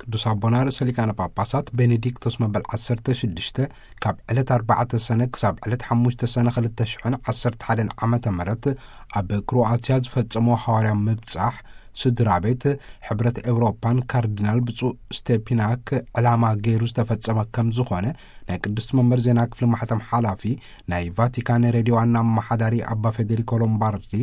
ቅዱስ ኣቦና ርእሰ ሊቃነ ጳጳሳት ቤኔዲክቶስ መበል ዓሰርተ ሽዱሽተ ካብ ዕለት ኣርባዕተ ሰነ ክሳብ ዕለት ሓሙሽተ ሰነ ክልተ ሽሕን ዓሰርተ ሓደን ዓመተ ምህረት ኣብ ክሮኣትያ ዝፈጸሞ ሃዋርያዊ ምብጻሕ፣ ስድራ ቤት፣ ሕብረት ኤውሮጳን ካርዲናል ብፁዕ ስቴፒናክ ዕላማ ገይሩ ዝተፈጸመ ከም ዝኾነ ናይ ቅድስቲ መንበር ዜና ክፍሊ ማሕተም ሓላፊ ናይ ቫቲካን ሬድዮ ዋና ኣመሓዳሪ ኣባ ፌዴሪኮ ሎምባርዲ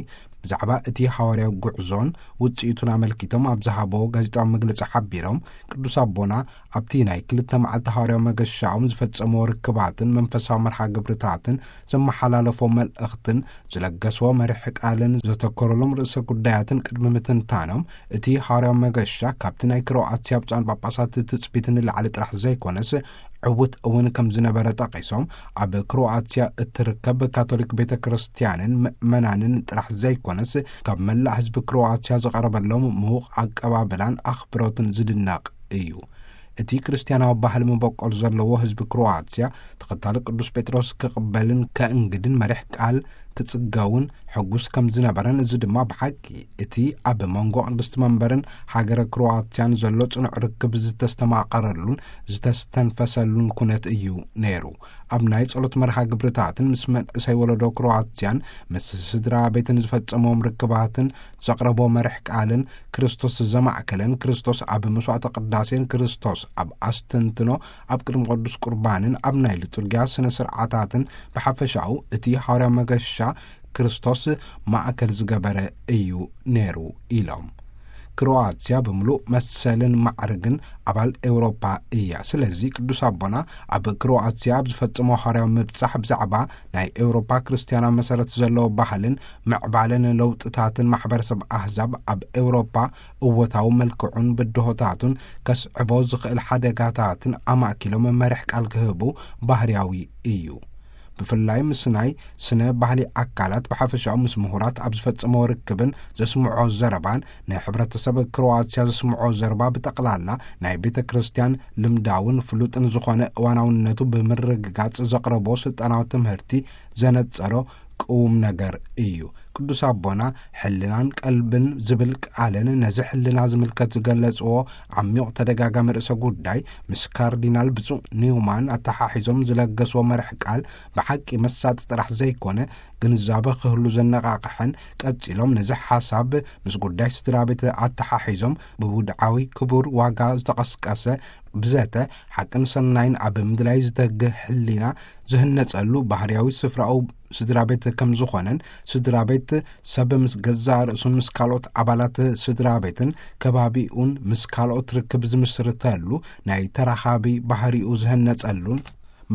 ብዛዕባ እቲ ሃዋርያዊ ጉዕዞን ውጽኢቱን ኣመልኪቶም ኣብ ዝሃቦ ጋዜጣዊ መግለጺ ሓቢሮም፣ ቅዱስ ኣቦና ኣብቲ ናይ ክልተ መዓልቲ ሃዋርያዊ መገሻኦም ዝፈጸምዎ ርክባትን መንፈሳዊ መርሃ ግብርታትን ዘመሓላለፎ መልእኽትን ዝለገስዎ መሪሕ ቃልን ዘተኮረሎም ርእሰ ጉዳያትን ቅድሚ ምትንታኖም፣ እቲ ሃዋርያዊ መገሻ ካብቲ ናይ ክሮኣትያ ብፁዓን ጳጳሳት ትጽቢት ንላዕሊ ጥራሕ ዘይኮነስ ዕዉት እውን ከም ዝነበረ ጠቒሶም፣ ኣብ ክሮኣትያ እትርከብ ካቶሊክ ቤተ ክርስቲያንን ምእመናንን ጥራሕ ዘይኮነስ ካብ መላእ ህዝቢ ክሮኣትያ ዝቐረበሎም ምዉቕ ኣቀባብላን ኣኽብሮትን ዝድነቕ እዩ። እቲ ክርስትያናዊ ባህሊ መበቆል ዘለዎ ህዝቢ ክሮኣትያ ተኸታሊ ቅዱስ ጴጥሮስ ክቕበልን ከእንግድን መሪሕ ቃል ክጽገውን ሕጉስ ከም ዝነበረን፣ እዚ ድማ ብሓቂ እቲ ኣብ መንጎ ቅድስቲ መንበርን ሃገረ ክሮኣትያን ዘሎ ጽኑዕ ርክብ ዝተስተማቐረሉን ዝተስተንፈሰሉን ኩነት እዩ ነይሩ። ኣብ ናይ ጸሎት መርሃ ግብርታትን ምስ መንእሰይ ወለዶ ክሮኣትያን ምስ ስድራ ቤትን ዝፈጸሞም ርክባትን ዘቕረቦ መርሕ ቃልን ክርስቶስ ዘማእከለን፣ ክርስቶስ ኣብ መስዋዕተ ቅዳሴን ክርስቶስ ኣብ ኣስተንትኖ ኣብ ቅድሚ ቅዱስ ቁርባንን ኣብ ናይ ሊጡርጊያ ስነ ስርዓታትን ብሓፈሻኡ እቲ ሃዋርያዊ መገሻ ክርስቶስ ማእከል ዝገበረ እዩ ነይሩ ኢሎም። ክሮኣትያ ብምሉእ መሰልን ማዕርግን ኣባል ኤውሮፓ እያ። ስለዚ ቅዱስ ኣቦና ኣብ ክሮኣትያ ኣብ ዝፈጸሞ ሃዋርያዊ ምብጻሕ ብዛዕባ ናይ ኤውሮፓ ክርስትያናዊ መሰረት ዘለዎ ባህልን ምዕባለን ለውጥታትን ማሕበረሰብ ኣህዛብ ኣብ ኤውሮፓ እወታዊ መልክዑን ብድሆታቱን ከስዕቦ ዝኽእል ሓደጋታትን ኣማእኪሎም መሪሕ ቃል ክህቡ ባህርያዊ እዩ። ብፍላይ ምስ ናይ ስነ ባህሊ ኣካላት ብሓፈሻኡ ምስ ምሁራት ኣብ ዝፈጸሞ ርክብን ዘስምዖ ዘረባን ናይ ሕብረተሰብ ክሮኣትያ ዘስምዖ ዘረባ ብጠቕላላ ናይ ቤተ ክርስቲያን ልምዳውን ፍሉጥን ዝኾነ እዋናውነቱ ብምርግጋጽ ዘቕረቦ ስልጣናዊ ትምህርቲ ዘነጸሮ ቅዉም ነገር እዩ። ቅዱስ ኣቦና ሕልናን ቀልብን ዝብል ቃልን ነዚ ሕልና ዝምልከት ዝገለጽዎ ዓሚቕ ተደጋጋሚ ርእሰ ጉዳይ ምስ ካርዲናል ብፁዕ ኒውማን ኣተሓሒዞም ዝለገስዎ መርሕ ቃል ብሓቂ መሳጢ ጥራሕ ዘይኮነ ግንዛበ ክህሉ ዘነቓቕሐን፣ ቀጺሎም ነዚ ሓሳብ ምስ ጉዳይ ስድራ ቤት ኣተሓሒዞም ብውድዓዊ ክቡር ዋጋ ዝተቐስቀሰ ብዘተ ሓቅን ሰናይን ኣብ ምድላይ ዝተግህ ሕሊና ዝህነጸሉ ባህርያዊ ስፍራኡ ስድራ ቤት ከም ዝኾነን፣ ስድራ ቤት ሰብ ምስ ገዛእ ርእሱን ምስ ካልኦት ኣባላት ስድራ ቤትን ከባቢኡን ምስ ካልኦት ርክብ ዝምስርተሉ ናይ ተራኻቢ ባህሪኡ ዝህነጸሉን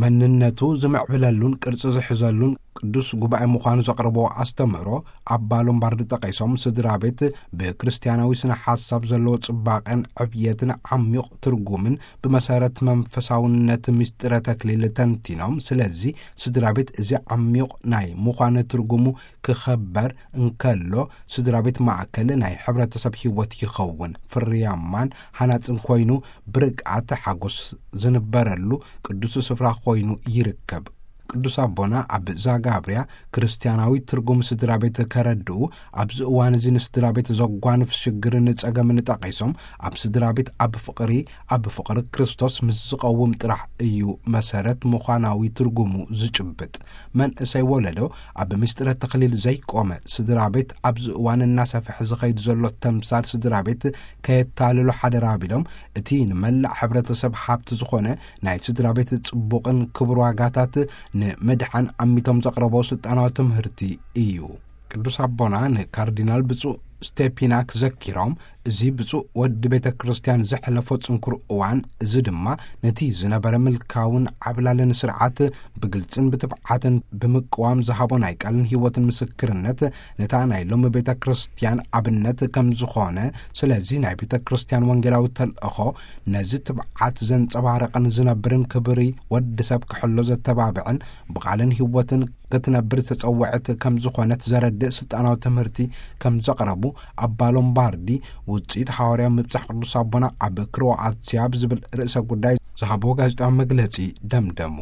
መንነቱ ዝምዕብለሉን ቅርጺ ዝሕዘሉን ቅዱስ ጉባኤ ምዃኑ ዘቕረብዎ ኣስተምህሮ ኣባ ሎምባርዲ ጠቒሶም፣ ስድራ ቤት ብክርስትያናዊ ስነ ሓሳብ ዘለዎ ጽባቐን ዕብየትን ዓሚቕ ትርጉምን ብመሰረት መንፈሳውነት ምስጢረ ተክሊል ተንቲኖም፣ ስለዚ ስድራ ቤት እዚ ዓሚቕ ናይ ምዃን ትርጉሙ ክኸበር እንከሎ፣ ስድራ ቤት ማእከል ናይ ሕብረተሰብ ህይወት ይኸውን፣ ፍርያማን ሃናጽን ኮይኑ ብርግኣት ሓጎስ ዝንበረሉ ቅዱስ ስፍራ ኮይኑ ይርከብ። ቅዱስ ኣቦና ኣብ ዛጋብርያ ክርስትያናዊ ትርጉም ስድራ ቤት ከረድኡ፣ ኣብዚ እዋን እዚ ንስድራ ቤት ዘጓንፍ ሽግርን ጸገምን ጠቒሶም፣ ኣብ ስድራ ቤት ኣብ ፍቕሪ፣ ኣብ ፍቕሪ ክርስቶስ ምስ ዝቐውም ጥራሕ እዩ መሰረት ምዃናዊ ትርጉሙ ዝጭብጥ። መንእሰይ ወለዶ ኣብ ምስጢረ ተኽሊል ዘይቆመ ስድራ ቤት ኣብዚ እዋን እናሰፍሐ ዝኸይድ ዘሎ ተምሳል ስድራ ቤት ከየታልሎ ሓደራ ቢሎም፣ እቲ ንመላእ ሕብረተሰብ ሃብቲ ዝኾነ ናይ ስድራ ቤት ጽቡቕን ክቡር ዋጋታት ንምድሓን ኣሚቶም ዘቕረቦ ስልጣናዊ ትምህርቲ እዩ። ቅዱስ ኣቦና ንካርዲናል ብፁዕ ስቴፒናክ ዘኪሮም፣ እዚ ብፁዕ ወዲ ቤተ ክርስቲያን ዘሕለፎ ጽንኩር እዋን፣ እዚ ድማ ነቲ ዝነበረ ምልካውን ዓብላልን ስርዓት ብግልጽን ብትብዓትን ብምቅዋም ዝሃቦ ናይ ቃልን ህይወትን ምስክርነት፣ ነታ ናይ ሎሚ ቤተ ክርስቲያን ኣብነት ከም ዝኾነ፣ ስለዚ ናይ ቤተ ክርስቲያን ወንጌላዊ ተልእኾ ነዚ ትብዓት ዘንጸባረቐን ዝነብርን ክብሪ ወዲ ሰብ ክሕሎ ዘተባብዕን ብቓልን ህይወትን ክትነብር ዝተጸውዐት ከም ዝኾነት ዘረድእ ስልጣናዊ ትምህርቲ ከም ዘቕረቡ ኣባ ሎምባርዲ ውጽኢት ሃዋርያዊ ምብጻሕ ቅዱስ ኣቦና ኣብ ክሮኣትያ ብዝብል ርእሰ ጉዳይ ዝሃብዎ ጋዜጣዊ መግለጺ ደምደሙ።